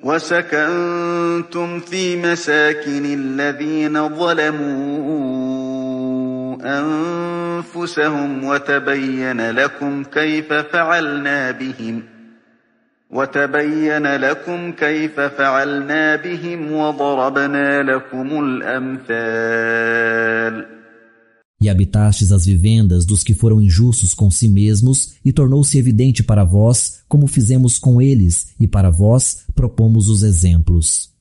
وسكنتم في مساكن الذين ظلموا أنفسهم وتبين لكم كيف فعلنا بهم وضربنا لكم الأمثال. E habitastes as vivendas dos que foram injustos com si mesmos, e tornou-se evidente para vós como fizemos com eles, e para vós propomos os exemplos.